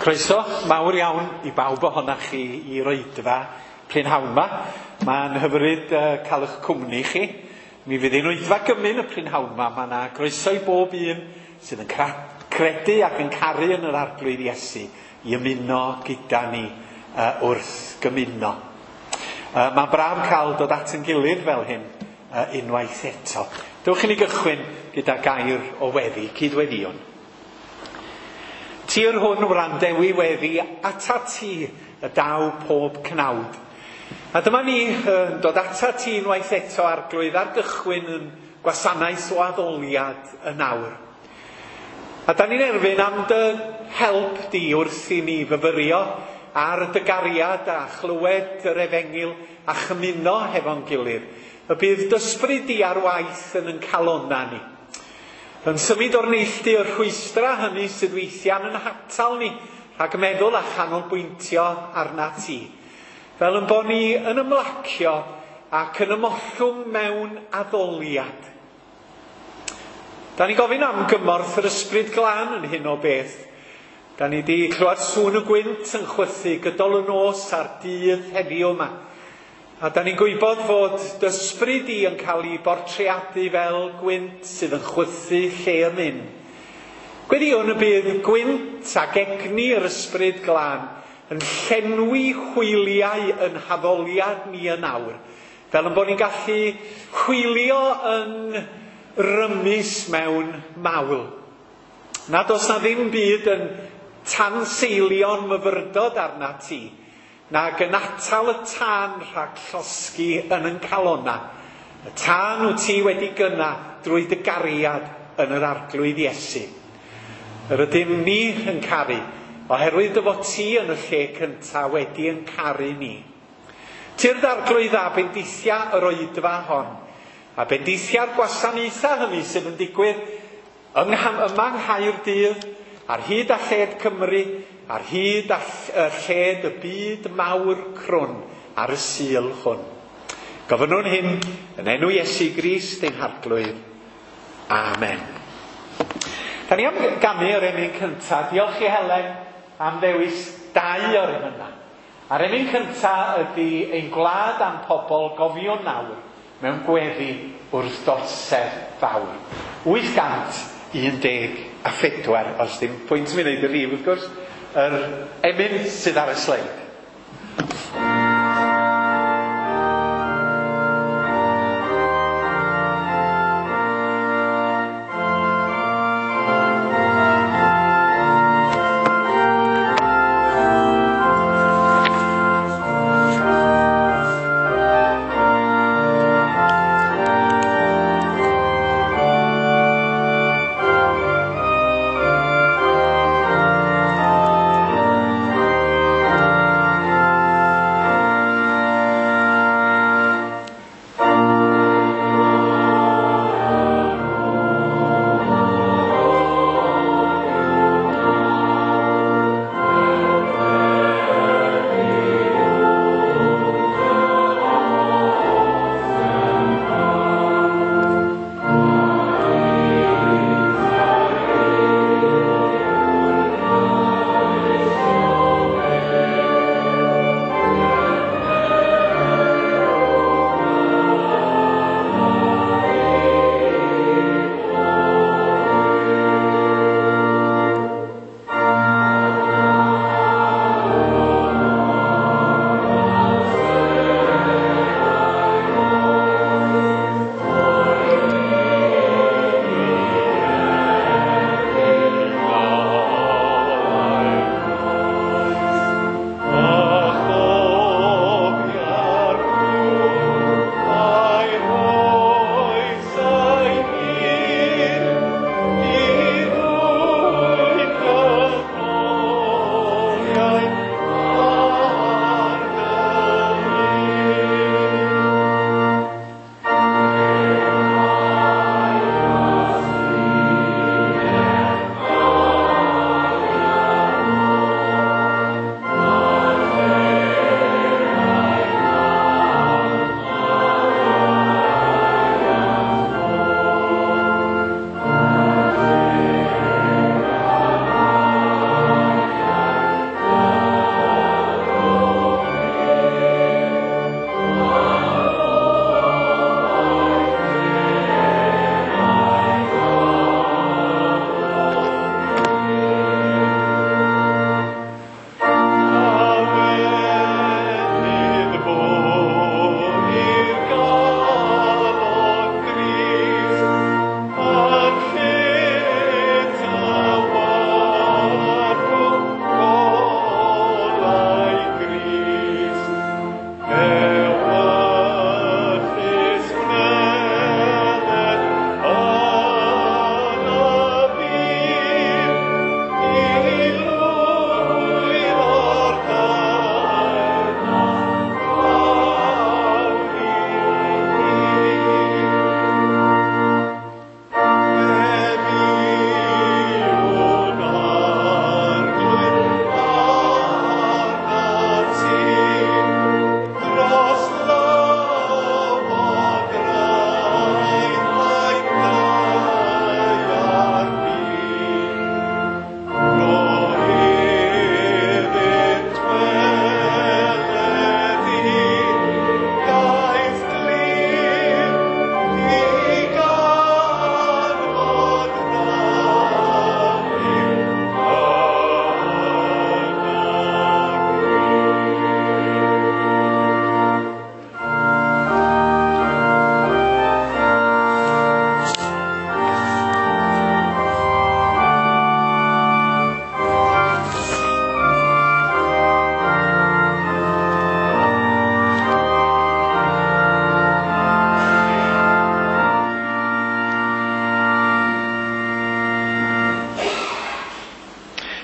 Croeso mawr iawn i bawb ohonoch chi i'r oedfa prynhawn 'ma. Mae'n hyfryd cael eich cwmni chi. Mi fydd hi'n oedfa gymun y prynhawn 'ma. Mae yna groeso i bob un sydd yn credu ac yn caru yn yr Arglwydd Iesu i ymuno gyda ni wrth gymuno. Mae'n braf cael dod at yn gilydd fel hyn unwaith eto. Dewch i ni gychwyn gyda gair o weddi, cydweddïwn. Tir hwn wrandewi weddi, ata ti y daw pob cnawd. A dyma ni yn dod ata ti unwaith eto, Arglwydd, ar gychwyn yn gwasanaeth o addoliad yn awr. A da ni'n erfyn am dy help di wrth i ni fyfyrio ar dy gariad a chlywed yr efengyl a chymuno hefo'n gilydd. Y bydd d'ysbryd di ar waith yn yn calonna ni. Yn symud o'r neilltu y rhwystra hynny sydd weithiau'n yn hatal ni rhag meddwl a chanolbwyntio arna ti. Fel yn bod ni yn ymlacio ac yn ymollwng mewn addoliad. Da ni'n gofyn am gymorth yr Ysbryd Glân yn hyn o beth. Da ni wedi clywed sŵn y gwynt yn chwythu gydol y nos a'r dydd heddiw yma. A da ni'n gwybod fod d'ysbryd di yn cael ei bortreadu fel gwynt sydd yn chwythu lle y myn. Gweddïwn y bydd gwynt ac egni yr Ysbryd Glân yn llenwi hwyliau yn haddoliad ni yn awr, fel yn bod ni'n gallu hwylio yn rymus mewn mawl. Nad oes na ddim byd yn tanseilio'n myfyrdod arna ti, nag yn atal y tân rhag llosgi yn yn calonna. Y tân wyt ti wedi gynna drwy dy gariad yn yr Arglwydd Iesu. Yr ydym ni yn caru, oherwydd dy fod ti yn y lle cyntaf wedi yn caru ni. Tyrd Arglwydd a bendithia yr oedfa hon, a bendithia'r gwasanaethau hynny sydd yn digwydd yma yng Nghaerdydd, ar hyd a lled Cymru, ar hyd a lled y byd mawr crwn ar y Sul hwn. Gofynnwn hyn yn enw Iesu Grist ein Harglwydd. Amen. Da ni am ganu yr emyn cyntaf. Diolch i Helen am ddewis dau o'r emynau. A'r emyn cyntaf ydy Ein Gwlad a'n Pobl Gofiwn Nawr mewn gweddi wrth d'orsedd fawr. 814, os dim pwynt mi wneud y rhif wrth gwrs, yr emyn sydd ar y sleid.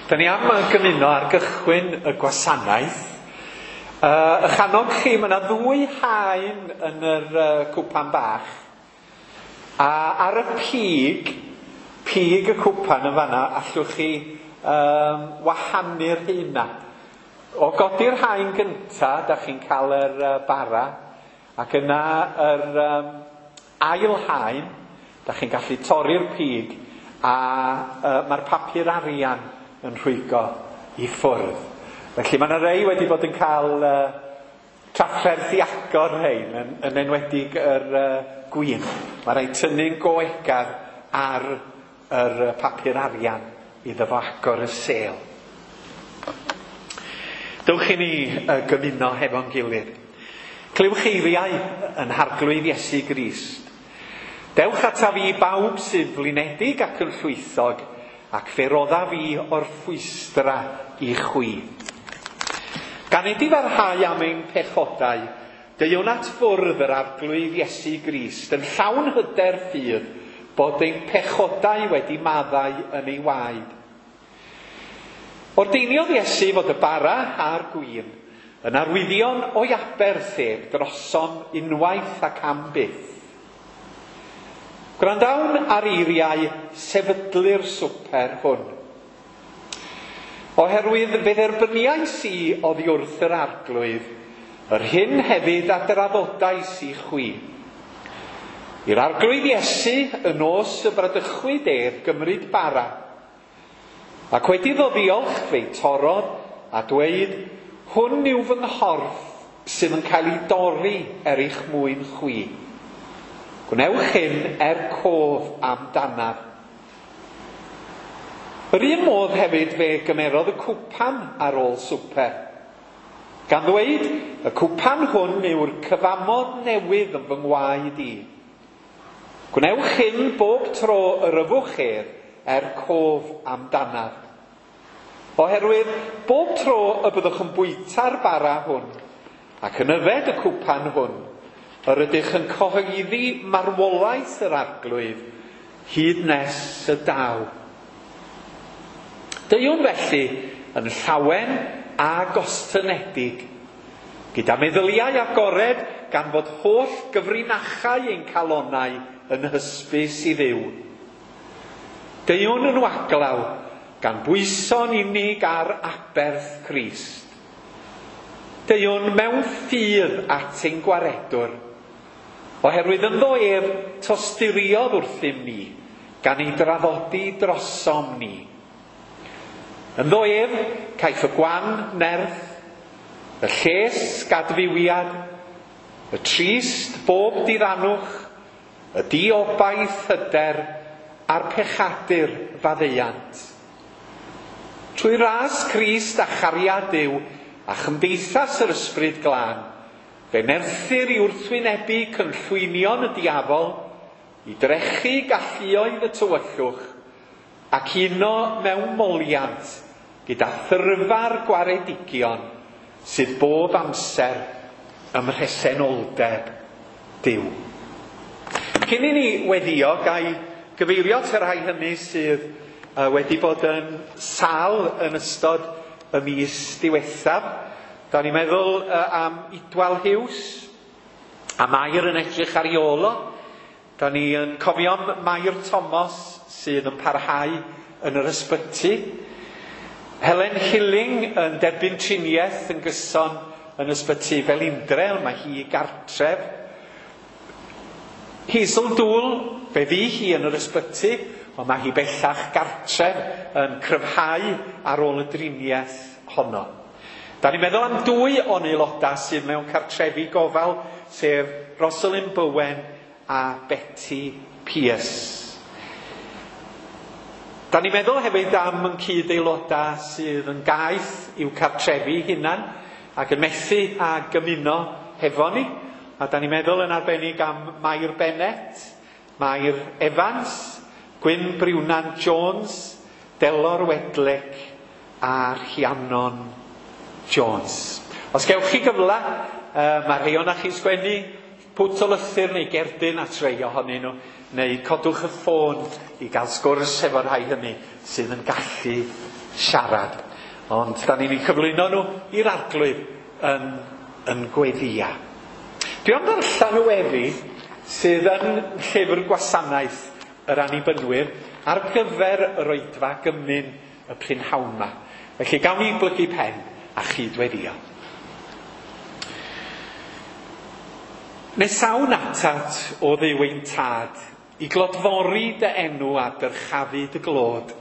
Da ni am gymuno ar gychwyn y gwasanaeth. Ych annog chi, mae yna ddwy haen yn yr cwpan bach. A ar y pig, pig y cwpan yn fanna, allwch chi wahanu'r heina. O godi'r haen gynta, da chi'n cael yr bara, ac yna yr ail haen, da chi'n gallu torri'r pig, a mae'r papur arian yn rhwygo i ffwrdd. Felly mae yna rei wedi bod yn cael trafferth i agor rhein, yn enwedig yr gwin. Mae rhaid tynnu'n goegar ar yr papur arian iddo fo agor y sêl. Dewch i ni gymuno hefo'n gilydd. Clywch eiriau yn Harglwydd Iesu Grist. Dewch ataf fi bawb sydd flinedig ac yn llwythog, ac fe rodda fi o'r ffwystra i chwi. Gan ei difarhau am ein pechodau, deuwn at fwrdd yr Arglwydd Iesu Grist yn llawn hyder ffydd bod ein pechodau wedi maddau yn ei waed. Ordeiniodd Iesu fod y bara a'r gwin yn arwyddion o'i aberth ef drosom unwaith ac am byth. Gwrandawn ar eiriau sefydlu'r swper hwn. Oherwydd fe dderbyniais i oddi wrth yr Arglwydd, yr hyn hefyd a draddodais i chwi. I'r Arglwydd Iesu, y nos y bradychwyd ef gymryd bara, ac wedi iddo ddiolch fe'i torrodd a dweud, hwn yw fy nghorff sydd yn cael ei dorri er eich mwyn chwi. Gwnewch hyn er cof amdanaf. Yr un modd hefyd fe gymerodd y cwpan ar ôl swper, gan ddweud, y cwpan hwn yw'r cyfamod newydd yn fy ngwaed i. Gwnewch hyn bob tro yr yfwch ef er cof amdanaf. Oherwydd bob tro y byddwch yn bwyta'r bara hwn ac yn yfed y cwpan hwn, yr ydych yn cyhoeddi marwolaeth yr Arglwydd hyd nes y daw. Deuwn felly yn llawen a gostynedig, gyda meddyliau agored gan fod holl gyfrinachau ein calonau yn hysbys i Dduw. Deuwn yn waglaw gan bwyso'n unig ar aberth Crist. Deuwn mewn ffydd at ein gwaredwr, oherwydd ynddo ef tosturiodd wrthym ni, gan ei draddodi drosom ni. Ynddo ef caiff y gwan nerth, y lles gadfywiad, y trist bob diddanwch, y diobaith hyder, a'r pechadur faddeuant. Trwy ras Crist a chariad Duw a chymdeithas yr Ysbryd Glân, fe nerthir i wrthwynebu cynllwynion y diafol, i drechu galluoedd y tywyllwch, ac uno mewn moliant gyda thyrfa'r gwaredigion sydd bob amser ym mhresenoldeb Duw. Cyn i ni weddio, ga i gyfeirio at y rhai hynny sydd wedi bod yn sâl yn ystod y mis diwethaf. Da ni'n meddwl am Idwal Hughes, a Mair yn edrych ar ei ôl o. Da ni yn cofio am Mair Thomas sydd yn parhau yn yr ysbyty. Helen Hilling yn derbyn triniaeth yn gyson yn ysbyty Felindre, ond mae hi gartref. Hazel Dŵl, fe fu hi yn yr ysbyty, ond mae hi bellach gartref yn cryfhau ar ôl y driniaeth honno. Da ni'n meddwl am dwy o'n aelodau sydd mewn cartrefi gofal, sef Rosalind Bowen a Betty Pierce. Da ni'n meddwl hefyd am yn cyd-aelodau sydd yn gaeth i'w cartrefi hunan ac yn methu a gymuno hefo ni. A da ni'n meddwl yn arbennig am Mair Bennett, Mair Evans, Gwyn Briwnan Jones, Delor Wedlec a Rhiannon Jones. Os gewch chi gyfle, mae rhai o'na chi'n sgwennu pwt o lythyr neu gerdyn at rei ohonyn nhw, neu codwch y ffôn i gael sgwrs efo'r rhai hynny sydd yn gallu siarad. Ond da ni'n eu cyflwyno nhw i'r Arglwydd yn gweddia. Dwi am ddarllen y weddi sydd yn llyfr gwasanaeth yr Annibynwyr ar gyfer yr oedfa gymun y prynhawn yma. Felly gawn ni blygu pen a chydweddio. Nesawn atat o Dduw ein tad, i glodfori dy enw a dyrchafu dy glod.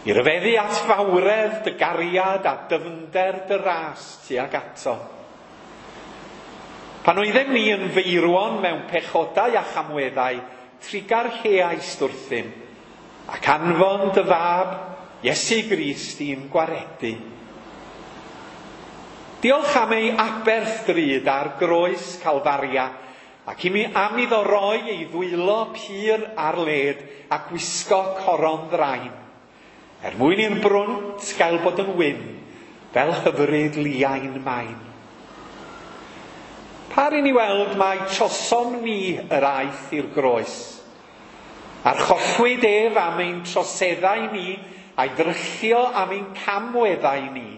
I ryfeddu at fawredd dy gariad a dyfnder dy ras tuag ato. Pan oeddem ni yn feirwon mewn pechodau a chamweddau, trugarheaist wrthym, ac anfon dy fab, Iesu Grist, i'n gwaredu. Diolch am ei aberth drud ar groes Calfaria, ac i mi am iddo roi ei ddwylo pur ar led a gwisgo coron ddrain, er mwyn i'r brwnt gael bod yn wyn, fel hyfryd liain main. Par i ni weld mai trosom ni yr aeth i'r groes. Archollwyd ef am ein troseddau ni, a'i ddryllio am ein camweddau ni.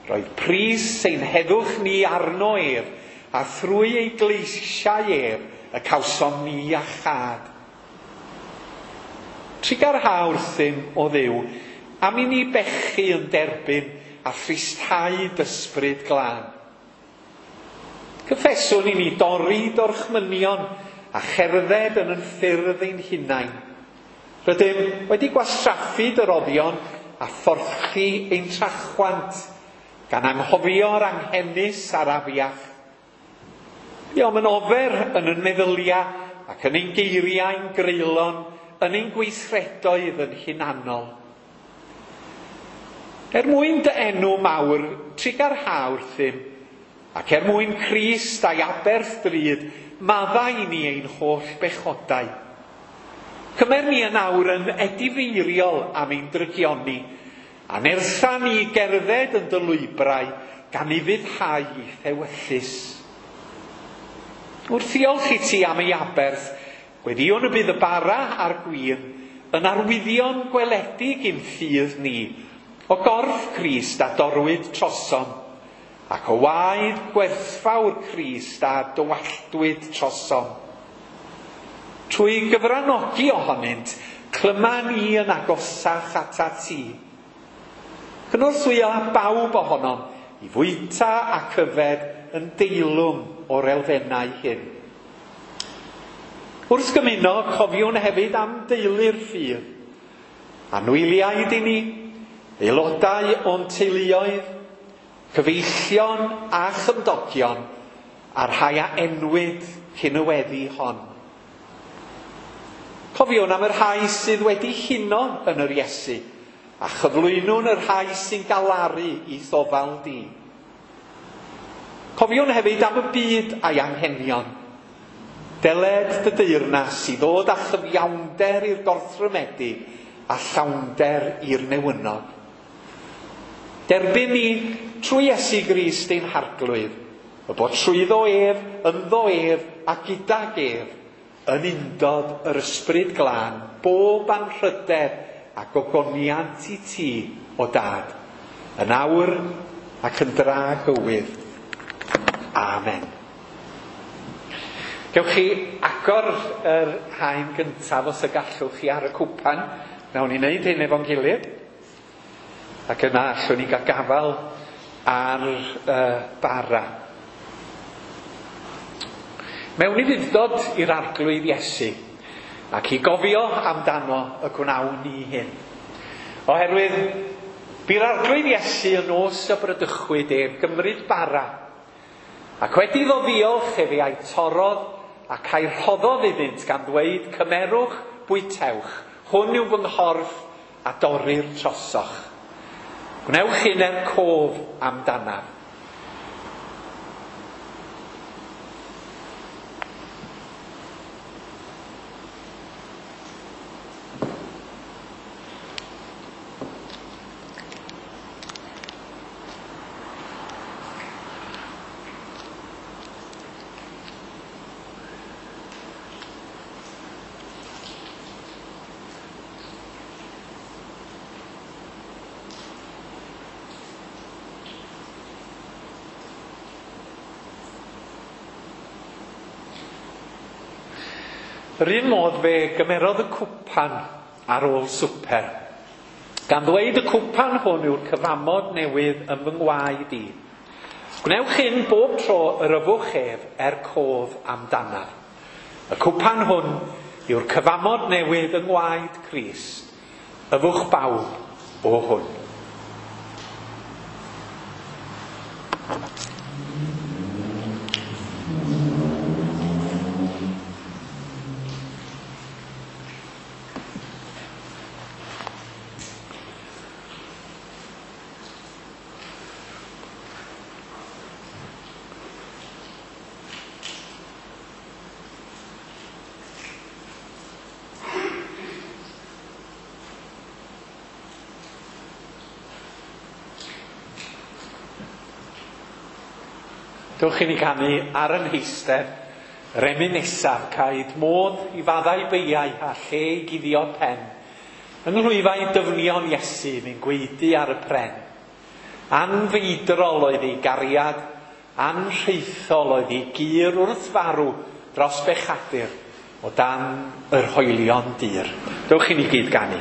Roedd pris ein heddwch ni arno ef, a thrwy ei gleisiau ef y cawsom ni a chad. Trugarha wrthym o Dduw, am i ni bechu yn derbyn a thristhau dysbryd glân. Cyffeswn i ni dorri dorchmynion a cherdded yn yn ffyrdd ein hunain. Rydym wedi gwastraffu dyroddion a phorthi ein trachwant, gan anghofio'r anghenus a'r afiach. Buom yn ofer yn yn meddyliau ac yn ein geiriau'n greulon, yn ein gweithredoedd yn hunanol. Er mwyn dy enw mawr, trugarha wrthym, ac er mwyn Crist a'i aberth drud, maddau i ni ein holl bechodau. Cymer ni yn awr yn edifeiriol am ein drygioni, a nertha ni gerdded yn dy lwybrau, gan ufuddhau i thewyllys. Wrth ddiolch i ti am ei aberth, gweddïwn y bydd y bara a'r gwin yn arwyddion gweledig i'n ffydd ni, o gorff Crist a dorwyd trosom, ac o waed gwerthfawr Crist a dywalltwyd trosom. Trwy gyfranogi ohonynt, clyma ni yn agosach atat ti. Cynorthwyo bawb ohonom i fwyta ac yfed yn deilwng o'r elfennau hyn. Wrth gymuno, cofiwn hefyd am deulu'r ffydd. Anwyliaid i ni, aelodau o'n teuluoedd, cyfeillion a chymdogion, a'r rhai a enwyd cyn y weddi hon. Cofiwn am y rhai sydd wedi huno yn yr Iesu, a chyflwynwn y rhai sy'n galaru i ddofal di. Cofiwn hefyd am y byd a'i anghenion. Deled dy deyrnas i ddod â chyfiawnder i'r gorthrymedig a llawnder i'r newynog. Derbyn ni trwy Iesu Grist ein Harglwydd, y bod trwyddo ef, ynddo ef a gydag ef, yn undod yr Ysbryd Glân, bob anrhydedd a gogoniant i ti, o Dad, yn awr ac yn dragywydd. Amen. Gewch chi agor yr haen gyntaf os y gallwch chi ar y cwpan. Nawn ni wneud hyn efo'n gilydd. Ac yna allwn ni gael gafael ar y bara. Mewn ufudd-dod i'r Arglwydd Iesu, ac i gofio amdano y gwnawn ni hyn. Oherwydd, bu'r Arglwydd Iesu yn nos y bradychwyd ef gymryd bara, ac wedi iddo ddiolch efe a'i torrodd ac a'i rhoddodd iddynt gan ddweud, cymerwch, bwytewch, hwn yw fy nghorff a dorrir trosoch. Gwnewch hyn er cof amdanaf. Yr un modd fe gymerodd y cwpan ar ôl swper, gan ddweud y cwpan hwn yw'r cyfamod newydd yn fy ngwaed i. Gwnewch hyn bob tro yr yfwch ef er cof amdanaf. Y cwpan hwn yw'r cyfamod newydd yng ngwaed Crist. Yfwch bawb o hwn. Dewch i ni canu ar yn heistedd, yr emyn nesaf, caed modd i faddau beiau a lle i guddio pen. Yng nghlwyfau dyfnion Iesu mi'n gwaedu ar y pren. Anfeidrol oedd ei gariad, anrhaethol oedd ei gur wrth farw dros bechadur o dan yr hoelion dir. Dewch i ni gyd ganu.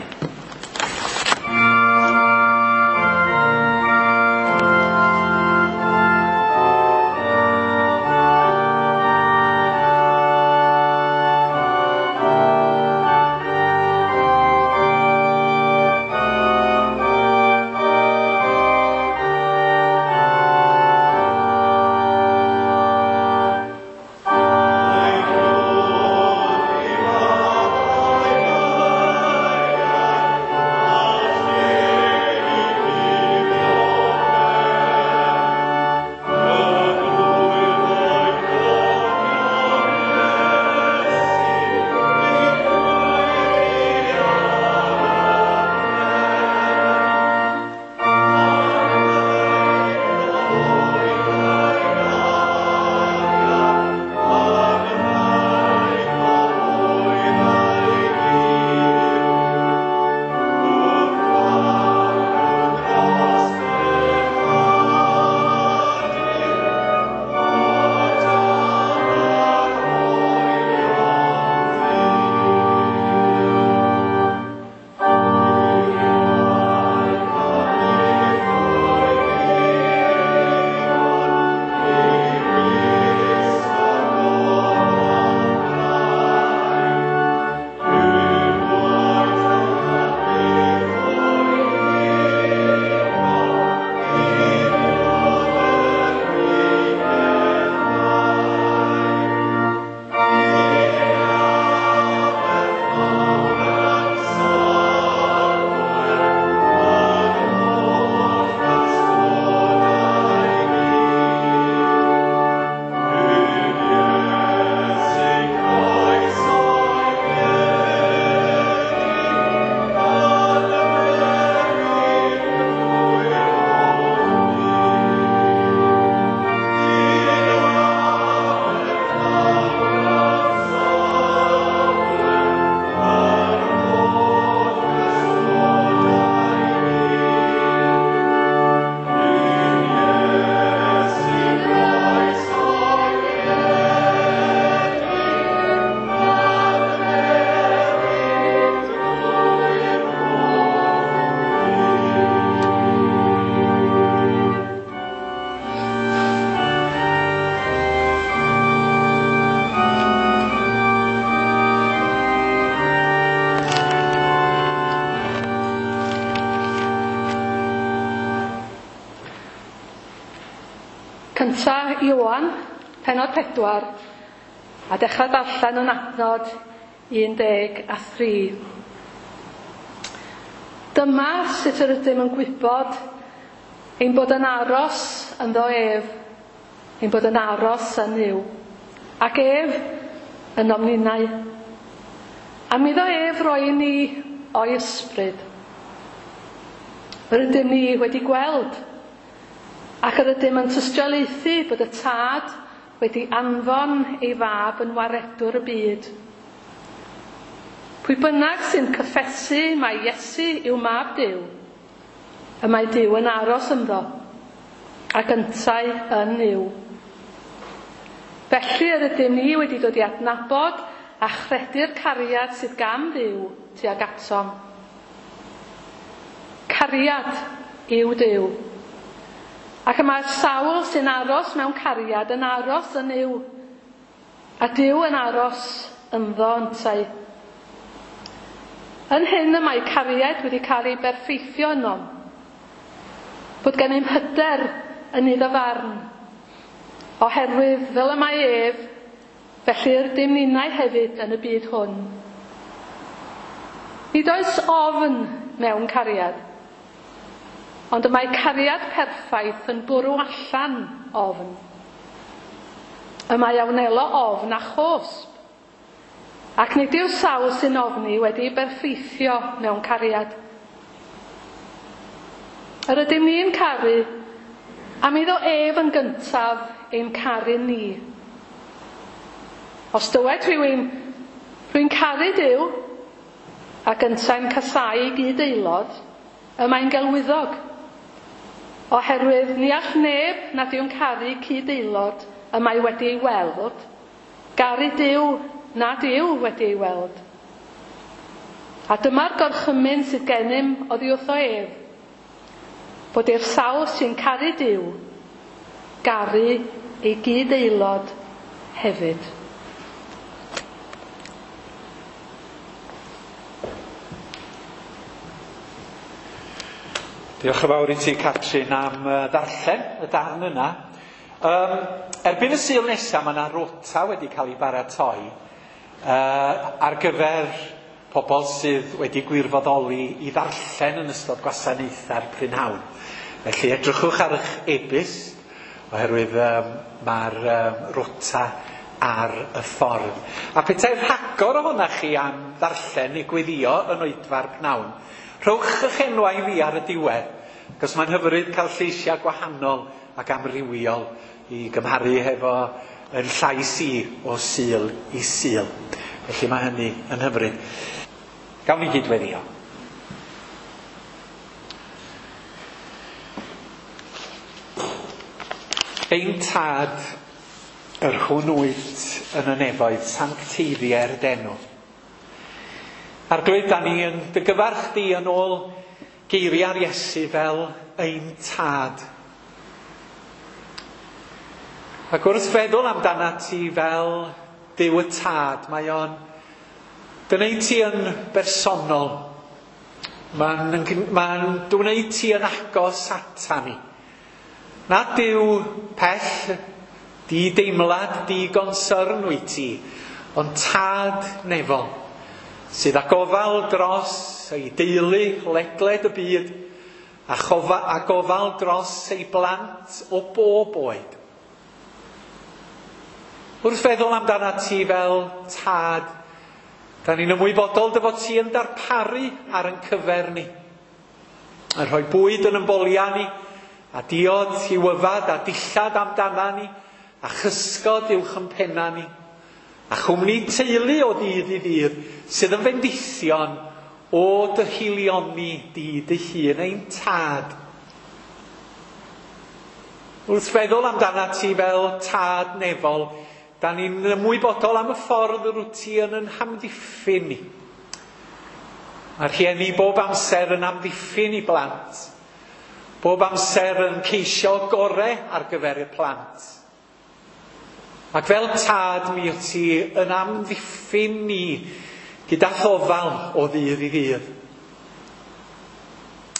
Cynta Ioan, pennod 4, a dechrau darllen yn adnod 13. Dyma sut yr ydym yn gwybod ein bod yn aros ynddo ef, ein bod yn aros yn Nuw, ac ef ynom ninnau. Am iddo ef roi i ni o'i ysbryd. Yr ydym ni wedi gweld, ac yr ydym yn tystiolaethu bod y Tad wedi anfon ei fab yn waredwr y byd. Pwy bynnag sy'n cyffesu mai Iesu yw mab Duw, y mae Duw yn aros ynddo, ac yntau yn Nuw. Felly yr ydym ni wedi dod i adnabod a chredu'r cariad sydd gan Dduw tuag atom. Cariad yw Duw. Ac y mae'r sawl sy'n aros mewn cariad yn aros yn Nuw, a Duw yn aros ynddo yntau. Yn hyn y mae cariad wedi cael ei berffeithio ynom, bod gennym hyder yn iddo farn, oherwydd fel y mae ef, felly yr ydym ninnau hefyd yn y byd hwn. Nid oes ofn mewn cariad, ond y mae cariad perffaith yn bwrw allan ofn. Y mae a wnelo ofn a chosb, ac nid yw'r sawl sy'n ofni wedi berffeithio mewn cariad. Yr ydym ni'n caru am iddo ef yn gyntaf ein caru ni. Os dywed rhywun, rwy'n caru Duw, ac yntau'n casáu gyd-aelod, y mae'n gelwyddog. Oherwydd ni all neb nad yw'n caru cyd-aelod y mae wedi ei weld, garu Duw nad yw wedi ei weld. A dyma'r gorchymyn sydd gennym oddi wrtho ef, bod i'r sawl sy'n caru Duw garu ei gyd-aelod hefyd. Diolch yn fawr i ti, Catrin, am ddarllen y darn yna. Erbyn y Sul nesaf, mae yna rota wedi cael ei baratoi ar gyfer pobl sydd wedi gwirfoddoli i ddarllen yn ystod gwasanaethau'r prynhawn. Felly edrychwch ar eich e-byst, oherwydd mae'r rota ar y ffordd. A petai rhagor ohonoch chi am ddarllen neu gweddio yn oedfa'r pnawn, rhowch eich enwau i fi ar y diwedd, cos mae'n hyfryd cael lleisiau gwahanol ac amrywiol i gymharu hefo yn llais i o Sul i Sul. Felly mae hynny yn hyfryd. Gawn ni gyd-weddio. Ein tad, yr hwn wyt yn y nefoedd, sancteiddier d'enw. Arglwydd, da ni yn dy gyfarch di yn ôl geiriau'r Iesu fel ein tad. Ac wrth feddwl amdana ti fel Duw y Tad, mae o'n gwneud ti yn bersonol. Mae'n gwneud ti yn agos ata ni. Na Duw pell, di deimlad, di gonsyrn wyt ti, ond tad nefol, sydd â gofal dros ei deulu ledled y byd, a gofal dros ei blant o bob oed. Wrth feddwl amdana ti fel tad, da ni'n ymwybodol dy fod ti yn darparu ar ein cyfer ni. Yn rhoi bwyd yn ymbolia ni, a diod i'w yfad, a dillad amdana ni, a chysgod uwch yn penna ni, a chwmni teulu o ddydd i ddydd sydd yn fendithion o dy hilioni di dy hun, ein tad. Wrth feddwl amdana ti fel tad nefol, da ni'n ymwybodol am y ffordd yr wyt ti yn hamddiffyn ni. Mae'r rhieni bob amser yn amddiffyn i blant, bob amser yn ceisio gore ar gyfer y plant. Ac fel tad mi wyt ti yn amddiffyn ni gyda thofal o ddydd i ddydd.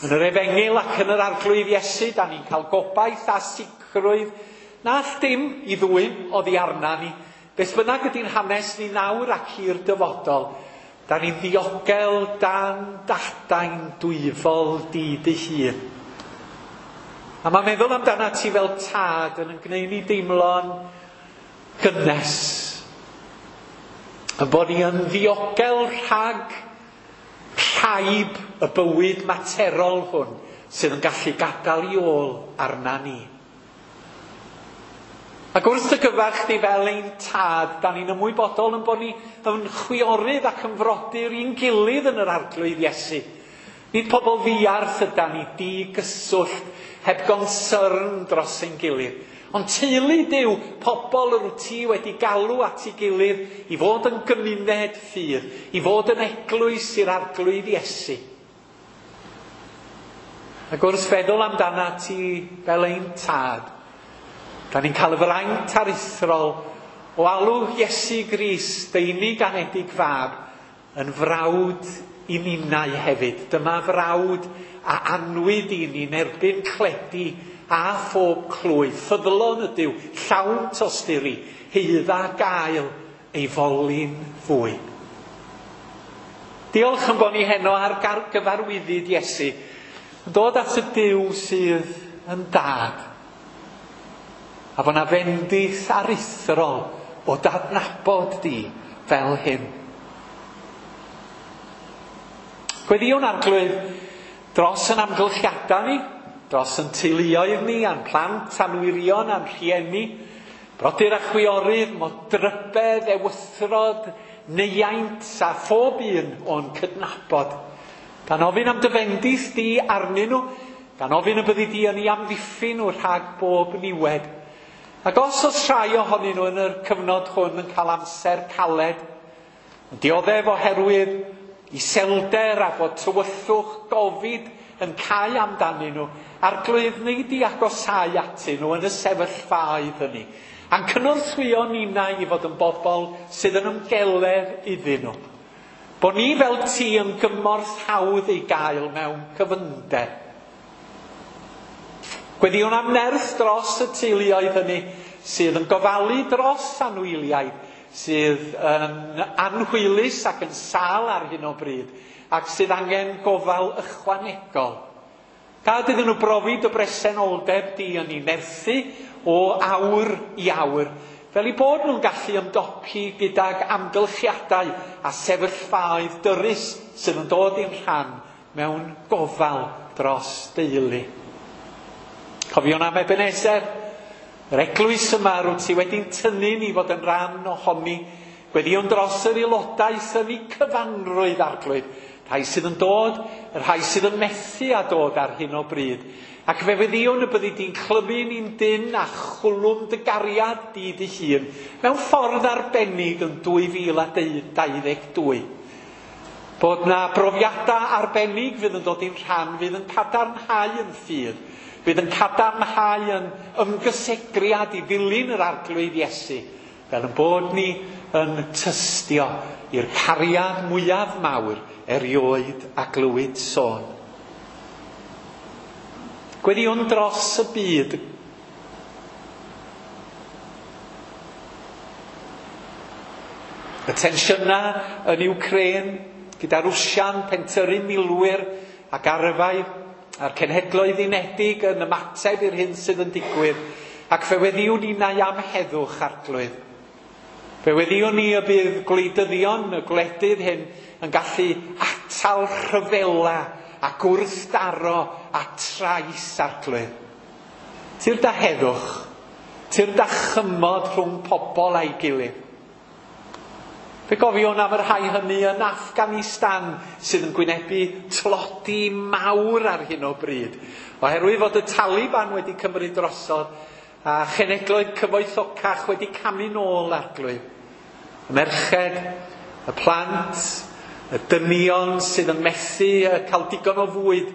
Yn yr Efengyl ac yn yr Arglwydd Iesu, da ni'n cael gobaith a sicrwydd na all dim i ddwyn oddi arna ni. Beth bynnag ydy'n hanes ni nawr ac i'r dyfodol, da ni'n ddiogel dan dadain dwyfol di dy hun. A mae meddwl amdana ti fel tad yn gwneud ni deimlo'n gynnes. Yn bod ni yn ddiogel rhag rhaib y bywyd materol hwn sydd yn gallu gadael i ôl arna ni. Ac wrth dy gyfarch di fel ein tad, da ni'n ymwybodol yn bod ni yn chwiorydd ac yn frodyr i'n gilydd yn yr Arglwydd Iesu. Nid pobl ddiarth yda ni, digyswllt, heb gonsyrn dros ein gilydd, Ond teulu Duw, pobl yr wyt ti wedi galw at ei gilydd i fod yn gymuned ffydd, i fod yn eglwys i'r Arglwydd Iesu. Ac wrth feddwl amdana ti fel ein tad, da ni'n cael y fraint aruthrol o alw Iesu Grist, dy unig anedig fab, yn frawd i ninnau hefyd. Dyma frawd a anwyd i ni'n erbyn cledi a phob clwy. Ffyddlon ydyw, llawn tosturi, heidda gael ei foli'n fwy. Diolch yn bod ni heno ar gyfarwyddyd Iesu, yn dod at y Duw sydd yn dad. A bod na fendith aruthrol o dadnabod di fel hyn. Gweddïwn Arglwydd dros yn amgylchiadau ni, dros yn teuluoedd ni, a'n plant, a'n wyrion, a'n rhieni, brodyr a chwiorydd, modrybedd, ewythrod, neiaint a phob un o'n cydnabod. Gan ofyn am dy fendith di arnyn nhw, gan ofyn y byddi di yn ei amddiffyn nhw rhag bob niwed. Ac os oes rhai ohonyn nhw yn yr cyfnod hwn yn cael amser caled, yn dioddef oherwydd iselder a bod tywyllwch gofid yn cau amdanyn nhw, Arglwydd, wnei di agosáu atyn nhw yn y sefyllfaoedd hynny, a'n cynorthwyo ninnau i fod yn bobl sydd yn ymgeledd iddyn nhw. Bod ni fel ti yn gymorth hawdd ei gael mewn cyfyngder. Gweddïwn am nerth dros y teuluoedd hynny sydd yn gofalu dros anwyliaid, sydd yn anhwylus ac yn sâl ar hyn o bryd, ac sydd angen gofal ychwanegol. Gad iddyn nhw brofi dy bresenoldeb di yn ei nerthu o awr i awr, fel eu bod nhw'n gallu ymdopi gydag amgylchiadau a sefyllfaoedd dyrys sydd yn dod i'n rhan mewn gofal dros deulu. Cofiwn am Ebenezer, yr eglwys yma rwyt ti wedi'n tynnu ni fod yn rhan ohoni, gweddïwn dros yr aelodaeth yn ei cyfanrwydd, Arglwydd, rhai sydd yn dod, y rhai sydd yn methu â dod ar hyn o bryd. Ac fe weddïwn y byddi di'n clymu ni'n dynn a chwlwm dy gariad di dy hun mewn ffordd arbennig yn 2022. Bod na brofiadau arbennig fydd yn dod i'n rhan, fydd yn cadarnhau yn ffydd, fydd yn cadarnhau yn ymgysegriad i ddilyn yr Arglwydd Iesu, fel yn bod ni yn tystio i'r cariad mwyaf mawr erioed a glywyd sôn. Gweddïwn dros y byd. Y tensiynau yn Ukraine, gyda Rwsia'n pentyrru milwyr ac arfau, a'r Cenhedloedd Unedig yn ymateb i'r hyn sydd yn digwydd, ac fe weddïwn ninnau am heddwch, Arglwydd. Fe weddïwn ni y bydd gwleidyddion y gwledydd hyn yn gallu atal rhyfela a gwrthdaro a trais, Arglwydd. Tyrd â heddwch, tyrd â chymod rhwng pobl a'i gilydd. Fe gofiwn am y rhai hynny yn Afghanistan sydd yn gwynebu tlodi mawr ar hyn o bryd, oherwydd fod y Taliban wedi cymryd drosodd a chenedloedd cyfoethocach wedi camu nôl, Arglwydd. Y merched, y plant, y dynion sydd yn methu cael digon o fwyd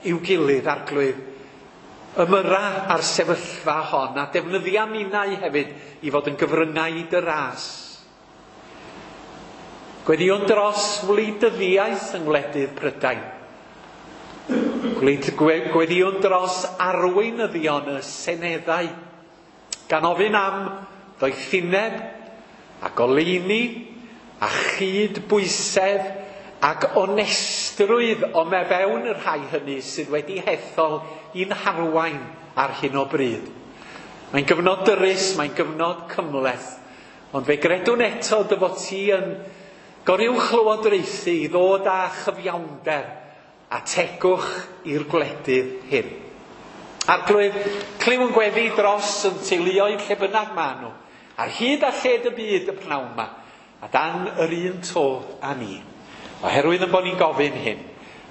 i'w gilydd, Arglwydd. Ymyra ar sefyllfa hon a defnyddia minnau hefyd i fod yn gyfryngau i dy ras. Gweddïwn dros wleidyddiaeth yng ngwledydd Prydain. Gweddïwn dros arweinyddion y seneddau, gan ofyn am ddoethineb a goleuni a chydbwysedd ac onestrwydd o mewn y rhai hynny sydd wedi hethol i'n harwain ar hyn o bryd. Mae'n gyfnod dyrys, mae'n gyfnod cymhleth, ond fe gredwn eto dy fod ti yn goruwchlywodraethu i ddod â chyfiawnder a tegwch i'r gwledydd hyn. Arglwydd, clyw yn gweddi dros yn teuluoedd lle bynnag maen nhw, ar hyd a lled y byd y pnawn yma, a dan yr un to â ni. Oherwydd yn bod ni'n gofyn hyn,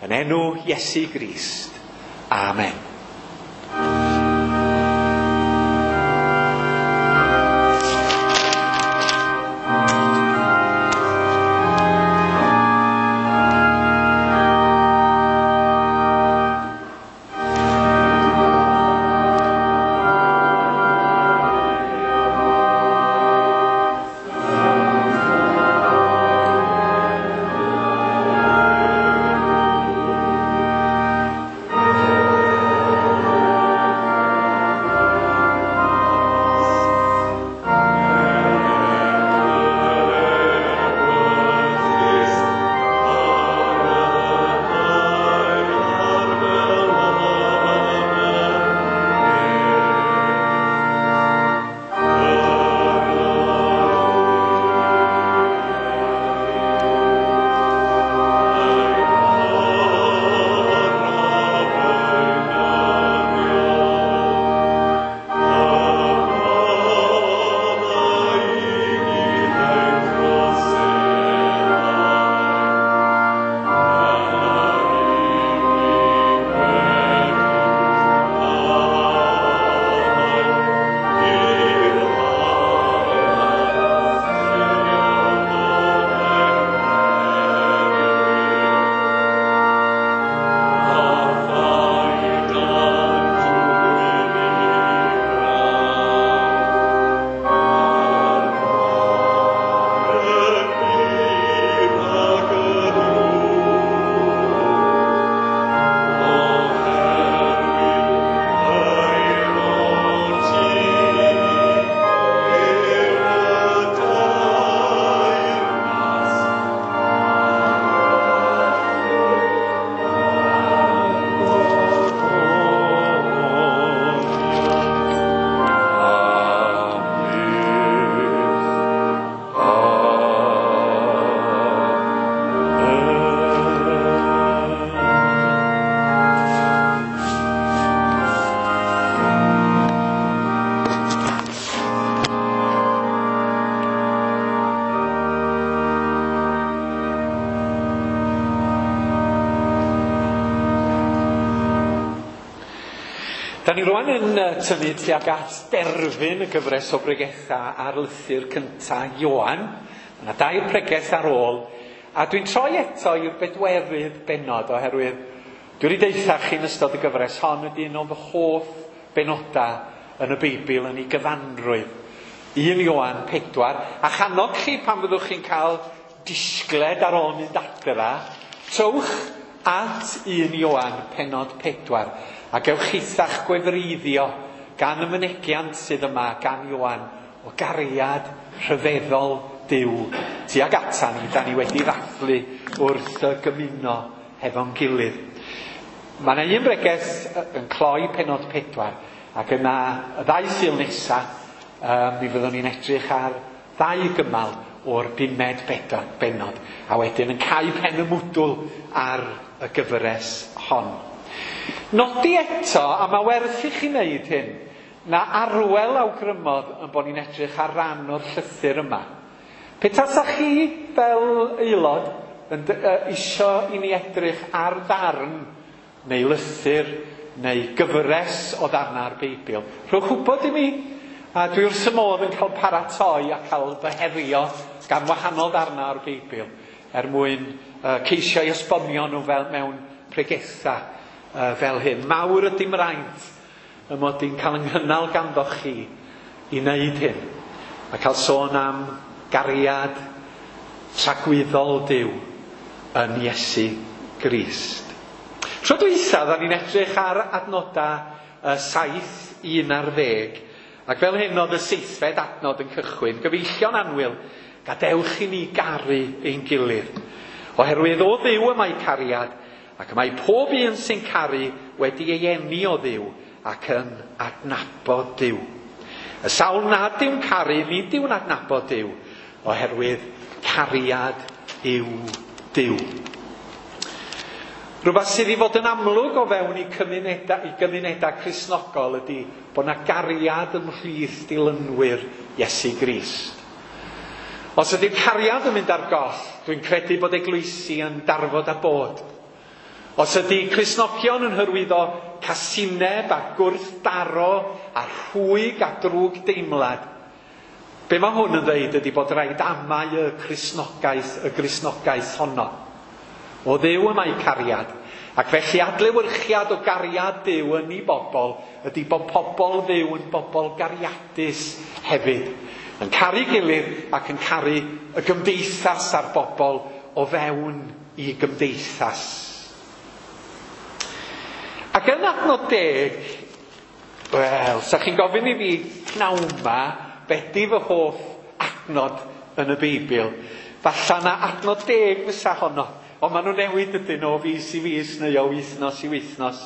yn enw Iesu Grist. Amen. Da ni rwan yn tynnu tuag at derfyn y gyfres o bregetha ar lythyr cynta Ioan. Mae yna dair pregeth ar ôl, a dwi'n troi eto i'r bedwerydd bennod oherwydd dwi wedi deutha chi yn ystod y gyfres hon ydy un o'n fy hoff benoda yn y Beibl yn ei gyfanrwydd. 1 Ioan 4, a channog chi pan fyddwch chi'n cael disgled ar ôl mynd adra, trowch at 1 Ioan pennod 4, a gewch chi'ch gwefreiddio gan y mynegiant sydd yma gan Ioan o gariad rhyfeddol Duw tuag atan ni, da ni wedi ddathlu wrth gymuno hefo'n gilydd. Mae yna un bregeth yn cloi pennod 4, ac yna y ddau Sul nesa, mi fyddwn ni'n edrych ar ddau gymal o'r bumed bennod, a wedyn yn cau pen y mwdwl ar y gyfres hon. Nodi eto, a mae werth i chi wneud hyn, na Arwel awgrymodd yn bod ni'n edrych ar ran o'r llythyr yma. Pe tasach chi fel aelod yn isio i ni edrych ar ddarn neu lythyr neu gyfres o ddarnau'r Beibl, rhowch wybod i mi, a dwi wrth y modd yn cael paratoi a cael fy herio gan wahanol ddarnau o'r Beibl er mwyn ceisio i esbonio nhw fel mewn pregetha fel hyn. Mawr ydy mraint y mod i'n cael ynghynnal ganddoch chi i wneud hyn, a cael sôn am gariad tragwyddol Duw yn Iesu Grist. Tro dwytha, da ni'n edrych ar adnodau 7, 11, ac fel hyn oedd y seithfed adnod yn cychwyn. Gyfeillion annwyl, gadewch i ni garu ein gilydd. Oherwydd o Dduw y mae cariad, ac mae pob un sy'n caru wedi ei eni o Dduw ac yn adnabod Duw. Y sawl nad yw'n caru, nid yw'n adnabod Duw, oherwydd cariad yw Duw. Rhywbeth sydd i fod yn amlwg o fewn i gymunedau Cristnogol ydy bod yna gariad ymhlith dilynwyr Iesu Grist. Os ydy'r cariad yn mynd ar goll, dwi'n credu bod eglwysi yn darfod a bod. Os ydy Cristnogion yn hyrwyddo casineb a gwrthdaro a rhwyg a drwg deimlad, be mae hwn yn dweud ydy bod rhaid amau y Gristnogaeth honno. O Dduw y mae cariad, ac felly adlewyrchiad o gariad Duw yn ei bobl ydy bod pobl Dduw yn bobl gariadus hefyd, yn caru gilydd ac yn caru y gymdeithas a'r bobl o fewn i gymdeithas. Ac yn adnod 10, wel, sa chi'n gofyn i fi pnawn ma, be di fy hoff adnod yn y Beibl? Falla na adnod 10 fysa honno, ond maen nhw'n newid ydyn nhw o fis i fis neu o wythnos i wythnos.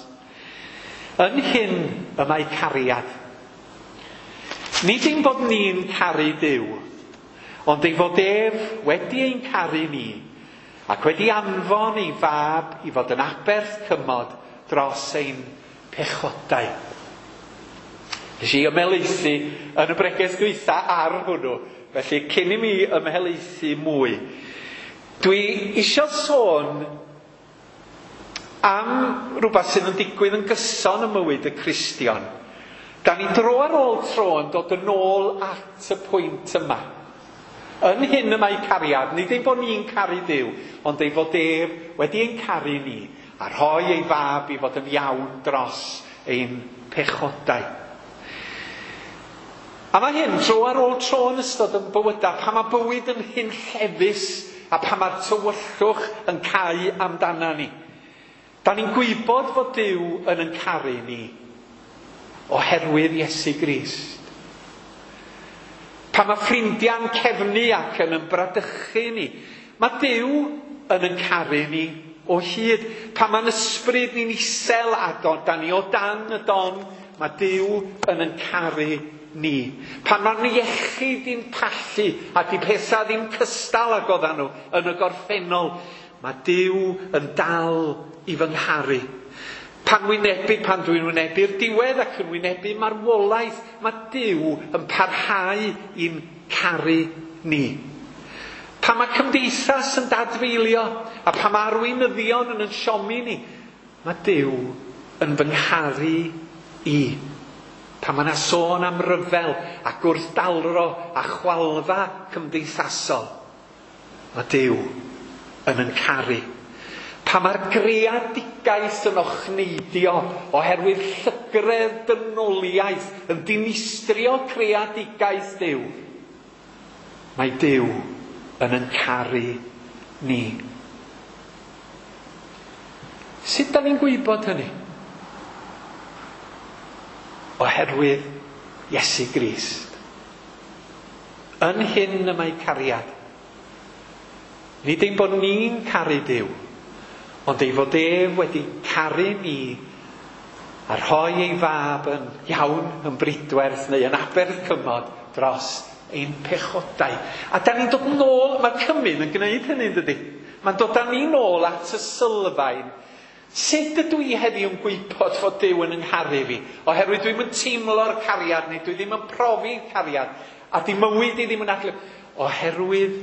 Yn hyn y mae cariad. Nid ein bod ni'n caru Duw, ond ei fod ef wedi ein caru ni, ac wedi anfon ei fab i fod yn aberth cymod dros ein pechodau. Nes i ymhelaethu yn y bregeth dwytha ar hwnnw, felly cyn i mi ymhelaethu mwy, dwi isio sôn am rhywbeth sydd yn digwydd yn gyson ym mywyd y Cristion. Da ni dro ar ôl tro yn dod yn ôl at y pwynt yma. Yn hyn y mae cariad, nid ein bod ni'n caru Duw, ond ei fod ef wedi ein caru ni, a rhoi ei fab i fod yn iawn dros ein pechodau. A mae hyn tro ar ôl tro yn ystod yn bywydau, pan mae bywyd yn hunllefus a pan mae'r tywyllwch yn cau amdana ni. Da ni'n gwybod fod Duw yn caru ni oherwydd Iesu Grist. Pan mae ffrindiau'n cefnu ac yn ymbradychu ni, mae Duw yn caru ni o hyd. Pan mae'n ysbryd ni'n isel a da ni o dan y don, mae Duw yn caru ni. Pan mae'n iechyd i'n pallu a di pethau ddim cystal ag oeddan nhw yn y gorffennol, mae Duw yn dal i fy ngharu. Pan dwi'n wynebu'r diwedd ac yn wynebu marwolaeth, mae Duw yn parhau i'n caru ni. Pan mae cymdeithas yn dadfeilio a pan mae arweinyddion yn siomi ni, mae Duw yn fy ngharu i. Pan mae yna sôn am ryfel a gwrthdalro a chwalfa cymdeithasol, mae Duw yn yn caru. Pan mae'r greadigaeth yn ochneidio oherwydd llygredd dynoliaeth yn dinistrio creadigaeth Duw, mae Duw yn yn caru ni. Sut da ni'n gwybod hynny? Oherwydd Iesu Grist. Yn hyn y mae cariad. Nid ein bod ni'n caru Duw, ond ei fod ef wedi caru ni a rhoi ei fab yn iawn, yn bridwerth neu yn aberth cymod dros ein pechodau. A da ni'n dod nôl, mae'r cymun yn gwneud hynny, dydy? Mae'n dod â ni nôl at y sylfaen. Sut ydw i heddiw yn gwybod fod Duw yn yngharu fi? Oherwydd dwi'm yn teimlo'r cariad neu dwi ddim yn profi'r cariad a di mywyd i ddim yn adlu. Oherwydd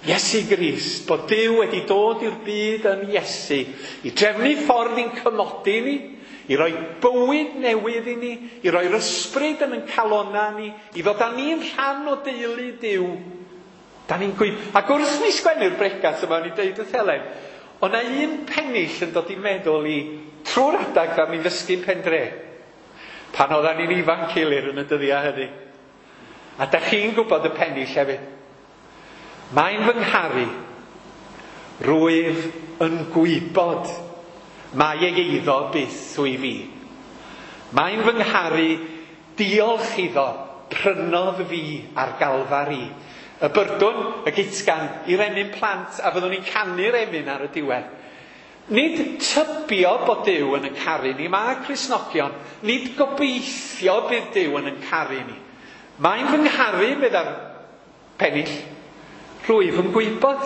Iesu Grist, bod Duw wedi dod i'r byd yn Iesu i drefnu ffordd i'n cymodi ni, i roi bywyd newydd i ni, i roi'r ysbryd yn ein calonna ni, i ddod â ni'n rhan o deulu Duw. Da ni'n gwybod. Ac wrth ni sgwennu'r bregath yma, o'n i'n deud wrth Helen, o na un pennill yn dod i meddwl i trwy'r adag ddaru ni ddysgu'n Pendre. Pan oeddan ni'n ifanc Ilir yn y dyddiau hynny. A da chi'n gwybod y pennill hefyd. Mae'n fy ngharu, rwyf yn gwybod mae ei eiddo byth wy fi. Mae'n fy ngharu, diolch iddo, prynodd fi ar Galfari. Y byrdwn, y gitgan, i'r emyn plant, a fyddwn ni'n canu'r emyn ar y diwedd. Nid tybio bod Duw yn yn caru ni, mae Cristnogion, nid gobeithio bydd Duw yn yn caru ni. Mae'n fy ngharu, meddai'r pennill, rwyf yn gwybod.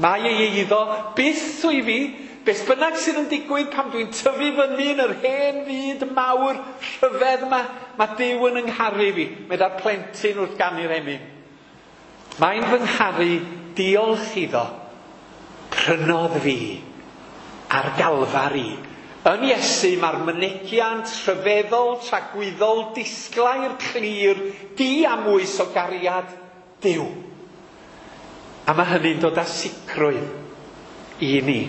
Mae ei eiddo byth wy fi, beth bynnag sydd yn digwydd pan dwi'n tyfu fyny yn yr hen fyd mawr rhyfedd yma, mae Duw yn yngharu fi, meddai'r plentyn wrth ganu'r emyn. Mae'n fy ngharu, diolch iddo, prynodd fi ar Galfari. Yn Iesu mae'r mynegiant rhyfeddol, tragwyddol, disglair, clir, diamwys o gariad Duw. A mae hynny'n dod â sicrwydd i ni.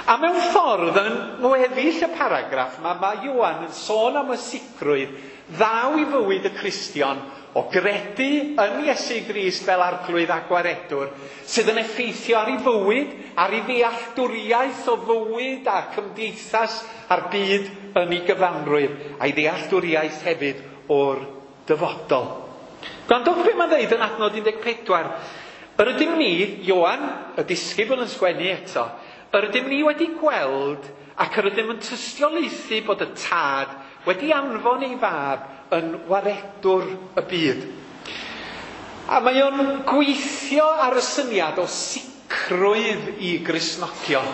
A mewn ffordd yn ngweddill y paragraff yma, mae Ioan yn sôn am y sicrwydd ddaw i fywyd y Cristion o gredu yn Iesu Grist fel arglwydd a gwaredwr, sydd yn effeithio ar ei fywyd, ar ei ddealltwriaeth o fywyd a cymdeithas a'r byd yn ei gyfanrwydd, a'i ddealltwriaeth hefyd o'r dyfodol. Gwrandwch be mae'n dweud yn adnod 14. Yr ydym ni, Ioan, y disgybl yn sgwennu eto, yr ydym ni wedi gweld ac yr ydym yn tystiolaethu bod y Tad wedi anfon ei fab yn waredwr y byd. A mae o'n gweithio ar y syniad o sicrwydd i Gristnogion.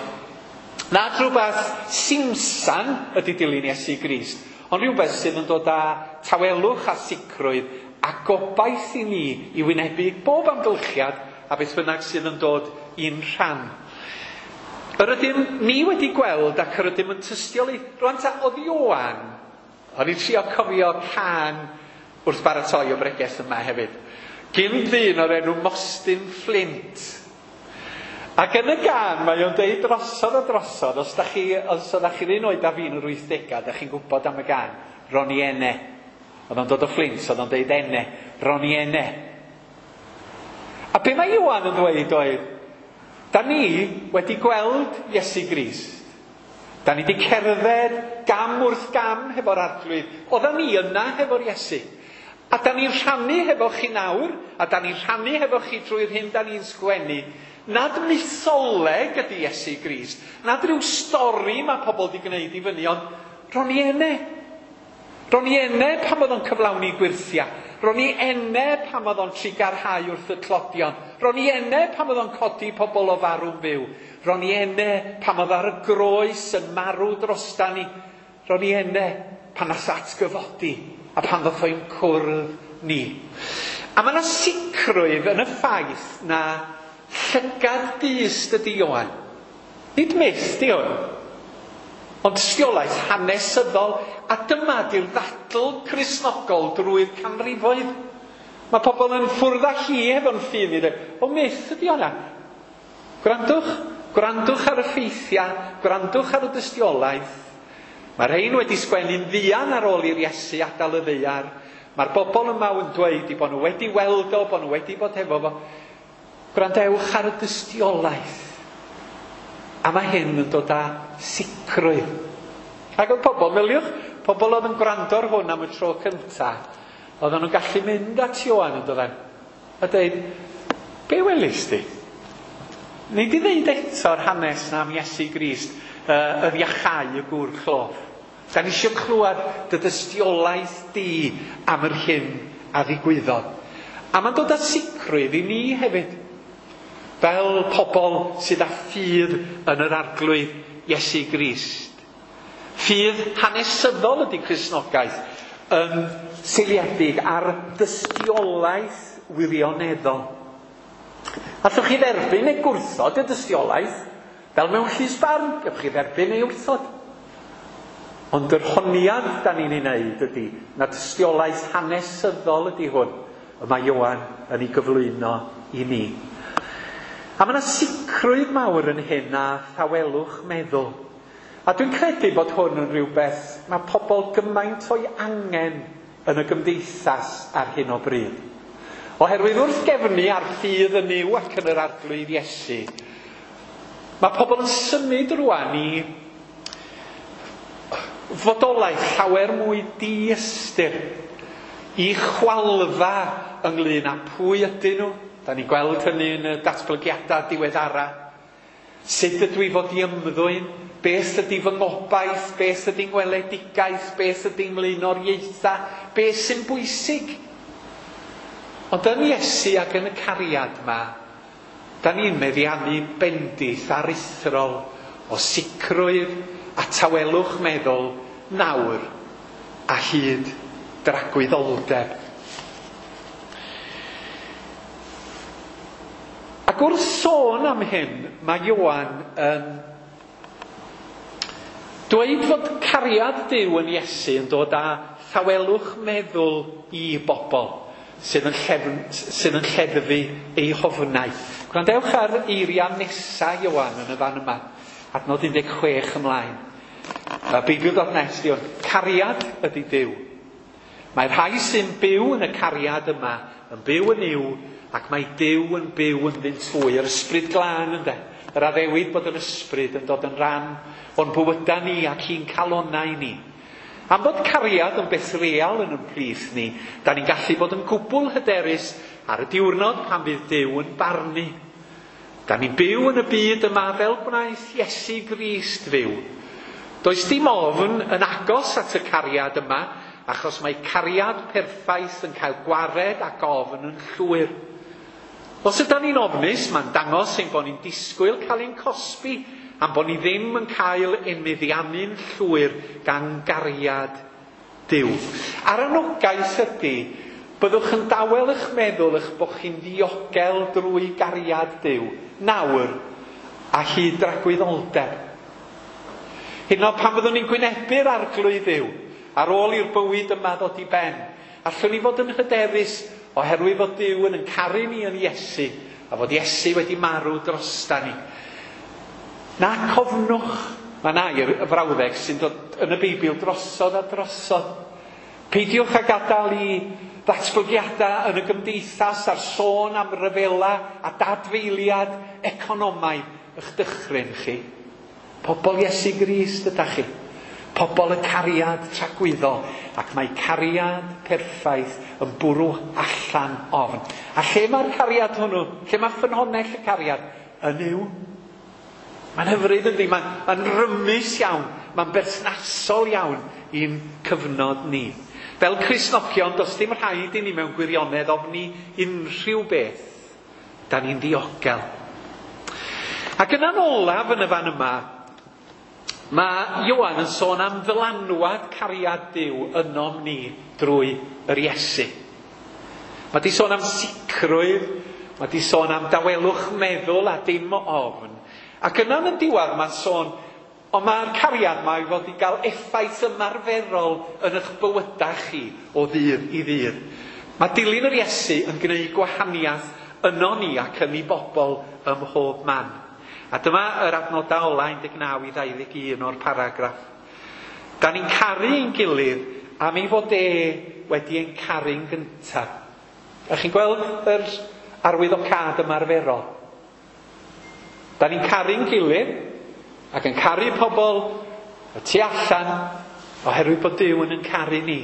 Nad rhywbeth simsan ydy dilyn Iesu Grist, ond rhywbeth sydd yn dod â tawelwch a sicrwydd a gobaith i ni i wynebu bob amgylchiad a beth bynnag sydd yn dod i'n rhan. Yr ydym ni wedi gweld ac yr ydym yn tystiolaethu. Rwan ta, oedd Ioan, o'n i'n trio cofio cân wrth baratoi o bregeth yma hefyd. Gyn ddyn o'r enw Mostyn Flint. Ac yn y gân mae o'n deud drosodd a drosodd, os ydach chi'r un oed â fi yn yr 80au, da chi'n gwybod am y gân, Ro'n i ene. Oedd o'n dod o Flint, oedd o'n deud ene, Ro'n i ene. A be mae Ioan yn dweud oedd, da ni wedi gweld Iesu Grist. Da ni wedi cerdded gam wrth gam hefo'r arglwydd. Oeddan ni yna hefo'r Iesu. A da ni'n rhannu hefo chi nawr, a da ni'n rhannu hefo chi drwy'r hyn da ni'n sgwennu, nad mytholeg ydy Iesu Grist, nad rhyw stori mae pobl wedi gwneud i fyny, ond ro'n i ene. Ro'n i ene pan oedd o'n cyflawni gwyrthiau. Ro'n i ene pan oedd o'n trugarhau wrth y tlodion. Ro'n i ene pan oedd o'n codi pobl o farw'n fyw. Ro'n i ene pan oedd ar y groes yn marw drosta ni. Ro'n i ene pan nath atgyfodi a pan ddoth o'n cwrdd ni. A mae yna sicrwydd yn y ffaith na llygad dyst ydy Ioan. Nid myth di hwn. Ond tystiolaeth hanesyddol, a dyma di'r ddadl Cristnogol drwy'r canrifoedd. Mae pobl yn ffwrdd â hi hefo'n ffydd i ddweud, o myth ydi hwnna. Gwrandwch, gwrandwch ar y ffeithiau, gwrandwch ar y dystiolaeth. Mae rhain wedi sgwennu'n fuan ar ôl i'r Iesu adael y ddaear. Mae'r bobl yma yn dweud i bod nhw wedi weld o, bod nhw wedi bod hefo fo. Gwrandewch ar y dystiolaeth. A mae hyn yn dod â sicrwydd. Ac oedd pobl, meddyliwch, pobl oedd yn gwrando ar hwn am y tro cyntaf, oedden nhw'n gallu mynd at Ioan yn dod a dweud, be welis di? Nei di ddeud eto'r hanes na am Iesu Grist, yr iachau y gŵr cloff. Da ni eisiau clywed dy dystiolaeth di am yr hyn a ddigwyddodd. A mae'n dod â sicrwydd i ni hefyd, fel pobl sydd â ffydd yn yr Arglwydd Iesu Grist. Ffydd hanesyddol ydy Cristnogaeth, yn seiliedig ar dystiolaeth wirioneddol. Allwch chi dderbyn neu gwrthod y dystiolaeth, fel mewn llys barn, gewch chi dderbyn neu wrthod. Ond yr honiad da ni'n ei wneud ydy na dystiolaeth hanesyddol ydy hwn, y mae Ioan yn ei gyflwyno i ni. A mae yna sicrwydd mawr yn hyn a thawelwch meddwl. A dwi'n credu bod hwn yn rhywbeth mae pobl gymaint o'i angen yn y gymdeithas ar hyn o bryd. Oherwydd wrth gefnu ar ffydd yn Nuw ac yn yr Arglwydd Iesu, mae pobl yn symud rwan i fodolaeth llawer mwy diystyr, i chwalfa ynglyn â pwy ydyn nhw. Da ni'n gweld hynny yn y datblygiadau diweddara. Sut ydw i fod i ymddwyn? Beth ydy fy ngobaith? Beth ydy ngweledigaeth? Beth ydy mlaenoriaethau? Beth sy'n bwysig? Ond yn Iesu ac yn y cariad yma, da ni'n meddiannu bendith aruthrol o sicrwydd a tawelwch meddwl nawr a hyd dragwyddoldeb. Ac wrth sôn am hyn, mae Ioan yn dweud fod cariad Duw yn Iesu yn dod â thawelwch meddwl i bobl sydd yn lleddfu eu hofnau. Gwrandewch ar eiriau nesaf Ioan yn y fan yma, adnod 16 ymlaen. Beibl.net di hwn. Cariad ydy Duw. Mae rhai sy'n byw yn y cariad yma yn byw yn Nuw, ac mae Duw yn byw ynddynt hwy. Yr ysbryd glân ynde. Yr addewid bod yr ysbryd yn dod yn rhan o'n bywydau ni ac i'n calonnau ni. Am bod cariad yn beth real yn ymplith ni, da ni'n gallu bod yn gwbl hyderus ar y diwrnod pan fydd Duw yn barnu. Da ni'n byw yn y byd yma fel gwnaeth Iesu Grist fyw. Does dim ofn yn agos at y cariad yma, achos mae cariad perffaith yn cael gwared ac ofn yn llwyr. Os ydyn ni'n ofnus, mae'n dangos ein bod ni'n disgwyl cael ein cosbi, am bod ni ddim yn cael ein meddiannu'n llwyr gan gariad Duw. A'r anogaeth ydy, byddwch yn dawel eich meddwl eich bod chi'n ddiogel drwy gariad Duw, nawr a hyd dragwyddoldeb. Hyd yn oed pan fyddwn ni'n gwynebu'r Arglwydd Dduw, ar ôl i'r bywyd yma ddod i ben, allwn ni fod yn hyderus oherwydd fod Duw yn caru ni yn Iesu, a fod Iesu wedi marw drosta ni. Na cofnwch, mae yna air y frawddeg sy'n dod yn y Beibl drosodd a drosodd. Peidiwch â gadael i ddatblygiadau yn y gymdeithas a'r sôn am ryfela a dadfeiliad economaidd eich dychryn chi. Pobl Iesu Grist ydych chi. Pobl y cariad tragwyddol, ac mae cariad perffaith yn bwrw allan ofn. A lle mae'r cariad hwnnw? Lle mae ffynhonnell y cariad? Yn Nuw. Mae'n hyfryd yndi, mae'n rymus iawn, mae'n berthnasol iawn i'n cyfnod ni. Fel Cristnogion, does dim rhaid i ni mewn gwirionedd ofni unrhyw beth. Da ni'n ddiogel. Ac yna'n olaf yn y fan yma, mae Ioan yn sôn am ddylanwad cariad Duw ynom ni drwy yr Iesu. Mae di sôn am sicrwydd, mae di sôn am dawelwch meddwl a dim ofn. Ac yna yn y diwedd mae'n sôn Ond mae'r cariad yma i fod i gael effaith ymarferol yn eich bywydau chi o ddydd i ddydd. Mae dilyn yr Iesu yn gwneud gwahaniaeth yno ni ac yn ei bobl ym mhob man. A dyma yr adnodau ola 19 i 21 o'r paragraff. Da ni'n caru ein gilydd am ei fod e wedi ein caru'n gyntaf. A chi'n gweld yr arwyddocâd ymarferol? Da ni'n caru'n gilydd ac yn caru pobl y tu allan oherwydd bod Duw yn caru ni.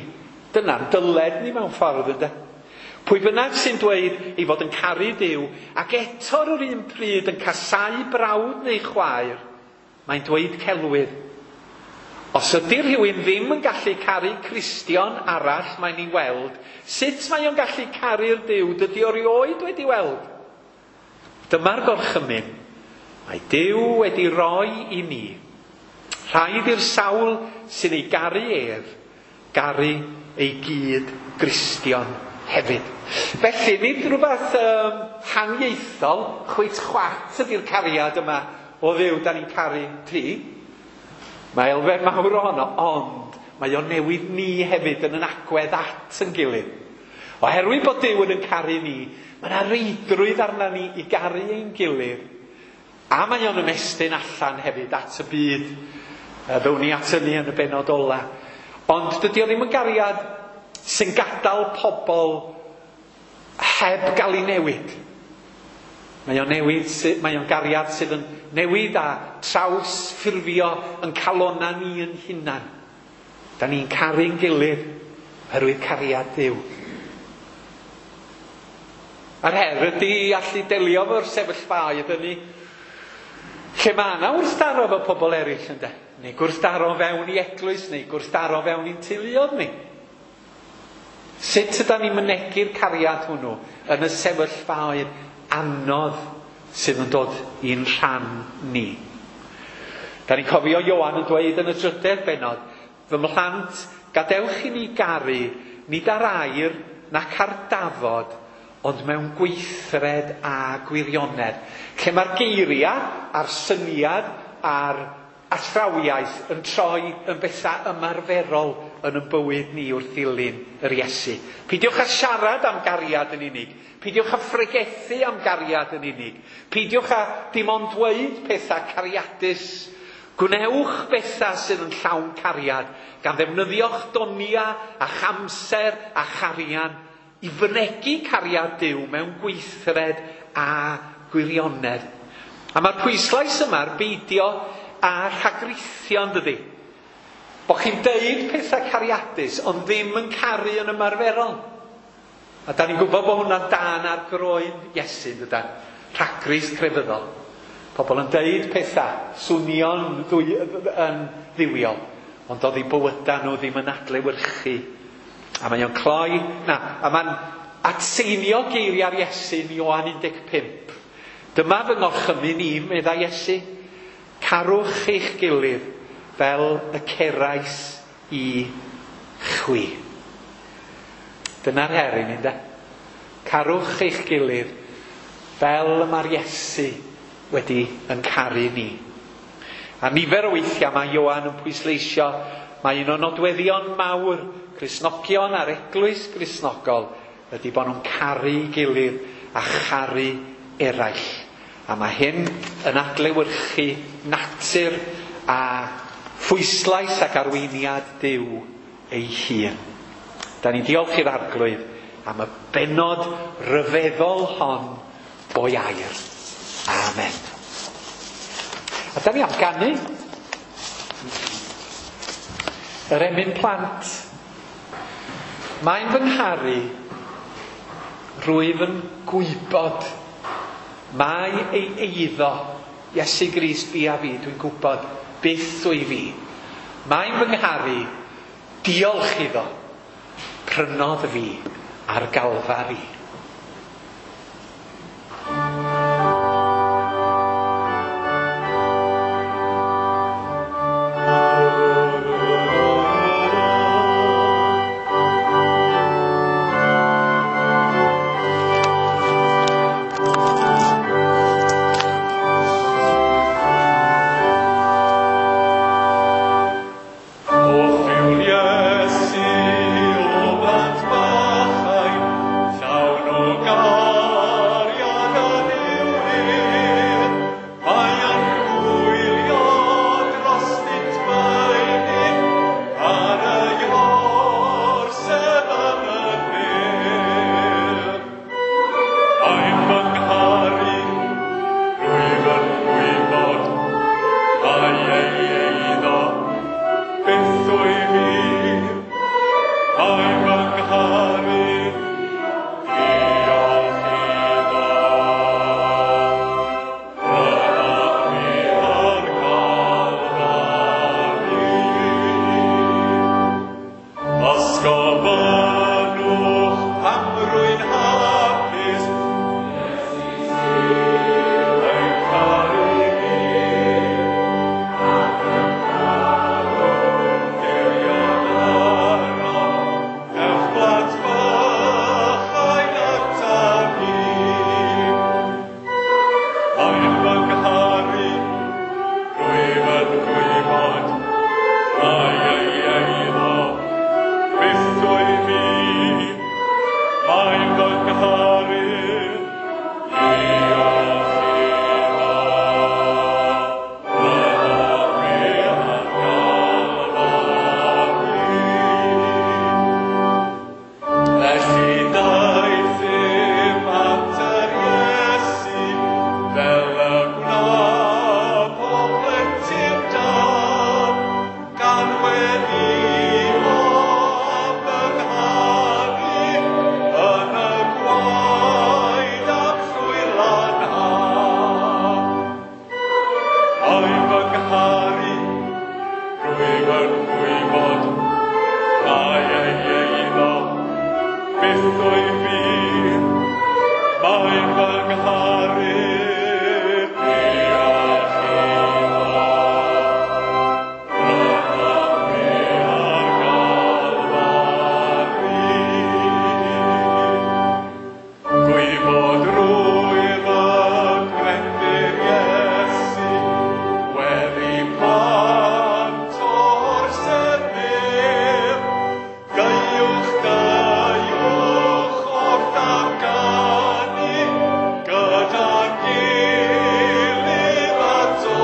Dyna'n dyled ni mewn ffordd, ynde? Pwy bynnag sy'n dweud ei fod yn caru Duw ac eto ar yr un pryd yn casáu brawd neu chwaer, mae'n dweud celwydd. Os ydy rhywun ddim yn gallu caru Cristion arall mae'n ei weld, sut mae o'n gallu caru'r Duw dydy o rioed wedi weld? Dyma'r gorchymyn. Mae Duw wedi roi i ni. Rhaid i'r sawl sy'n ei garu ef, garu ei gyd Gristion hefyd. Felly, nid rhywbeth haniaethol, chwit chwat ydy'r cariad yma o Dduw da ni'n caru ti. Mae elfen mawr ohono, ond mae o'n newid ni hefyd yn agwedd at yn gilydd. Oherwydd bod Duw yn caru ni, mae yna reidrwydd arna ni i garu ein gilydd. A mae o'n ymestyn allan hefyd at y byd. Ddown ni at hynny yn y bennod ola. Ond dydy o ddim yn gariad sy'n gadael pobl heb gael ei newid. Mae o'n newid, mae o'n gariad sydd yn newid a trawsffurfio yn calona ni yn hunan. Da ni'n caru'n gilydd oherwydd cariad Duw. A'r her ydy i allu delio efo'r sefyllfaoedd hynny lle mae yna wrthdaro efo pobl eraill, ynde? Neu gwrthdaro fewn i eglwys, neu gwrthdaro fewn i'n teuluoedd ni. Sut ydan ni'n mynegi'r cariad hwnnw yn y sefyllfaoedd anodd sydd yn dod i'n rhan ni? Da ni'n cofio Ioan yn dweud yn y drydedd bennod, fy mhlant, gadewch i ni garu, nid ar air nac ar dafod, ond mewn gweithred a gwirionedd. Lle mae'r geiriau a'r syniad a'r athrawiaeth yn troi yn bethau ymarferol yn ein bywyd ni wrth ddilyn yr Iesu. Peidiwch â siarad am gariad yn unig. Peidiwch â phregethu am gariad yn unig. Peidiwch â dim ond dweud pethau cariadus. Gwnewch bethau sydd yn llawn cariad, gan ddefnyddio'ch donia a chamser a charian i fynegi cariad Duw mewn gweithred a gwirionedd. A mae'r pwyslais yma ar beidio a rhagrithio, yndydi? Bo chi'n deud pethau cariadus, ond ddim yn caru yn ymarferol. A da ni'n gwybod bod hwnna'n dan ar groen Iesu, dydan? Rhagrith crefyddol. Pobl yn deud pethau, swnio'n yn dduwiol, ond oedd eu bywydau nhw ddim yn adlewyrchu. A mae o'n cloi, a mae'n atseinio geiriau'r Iesu yn Ioan 15. Dyma fy ngorchymyn i, meddai Iesu, carwch eich gilydd fel y cerais i chwi. Dyna'r her i ni, ynde? Carwch eich gilydd fel y mae'r Iesu wedi yn caru ni. A nifer o weithiau mae Ioan yn pwysleisio mae un o nodweddion mawr Cristnogion a'r eglwys Gristnogol ydy bod nhw'n caru gilydd a charu eraill. A mae hyn yn adlewyrchu natur a phwyslais ac arweiniad Duw ei hun. Da ni'n diolch i'r Arglwydd am y bennod ryfeddol hon o'i air. Amen. A da ni am ganu yr emyn plant. Mae'n fy ngharu, rwyf yn gwybod. Mae ei eiddo, Iesu Grist fi a fi, dwi'n gwybod byth wyf fi. Mae'n fy ngharu, diolch iddo, prynodd fi ar Galfari. ei eiddo, byth wyf fi, mae'n fy ngharu, diolch iddo. Prynodd fi ar Galfari. Os gofynnwch pam rwy'n hapus, yn caru fi, Dirion arno, ewch blant bychain ataf i. Mae'n fy ngharu, rwyf yn gwybod, mai ei eiddo, byth wyf fi, mae'n fy ngharu, diolch iddo. Prynodd fi ar Galfari. Felly daethum at yr Iesu, fel y gwna pob plentyn da, gan weddïo am fy ngharu yn y gwaed am llwyr lanhad. Mae'n fy ngharu, rwyf yn gwybod, mai ei eiddo, byth wyf fi, mae'n fy ngharu, diolch iddo. Prynodd fi ar Galfari. Gwybod rwyf y gwrendyr Iesu, weddi plant o'r sefyll. Gaiwch, gaiwch wrth am ganu, gyda'n gilydd ato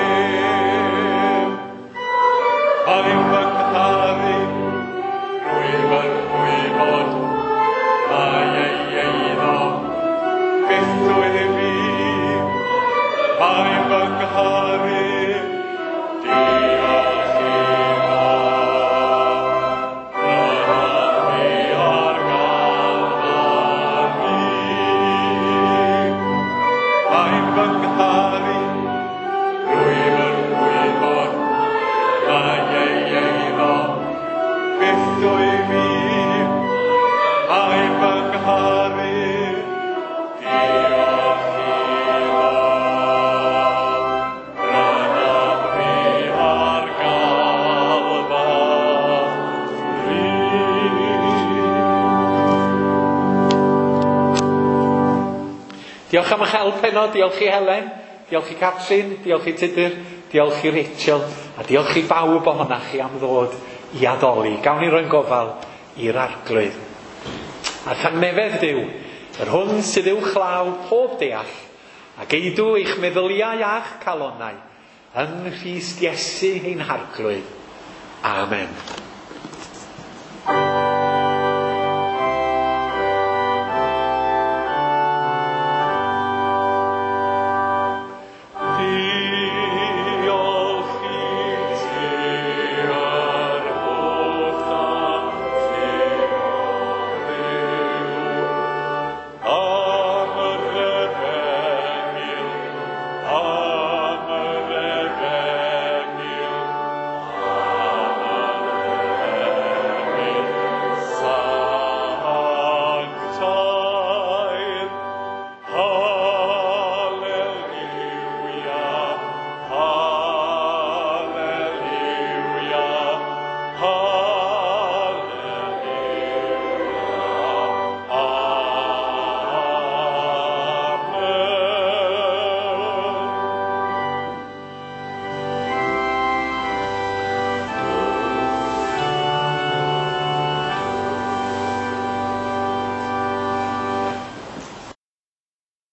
ef. Mae'n fy ngharu, rwyf yn gwybod, mai ei eiddo, byth wyf fi, mae'n fy ngharu, diolch iddo. Prynodd fi ar Galfari. Mae'n fy ngharu, rwyf yn gwybod, mai ei eiddo, byth wyf fi, mae'n fy ngharu, diolch iddo. Prynodd fi ar Galfari. Diolch am eich help heno, diolch i Helen, diolch i Catrin, diolch i Tudur, diolch i Rachel, a diolch i bawb ohonoch chi am ddod i addoli. Gawn ni roi'n gofal i'r Arglwydd. A thangnefedd Duw, yr hwn sydd uwchlaw pob deall, a geidw eich meddyliau a'ch calonnau, yng Nghrist Iesu ein Harglwydd. Amen.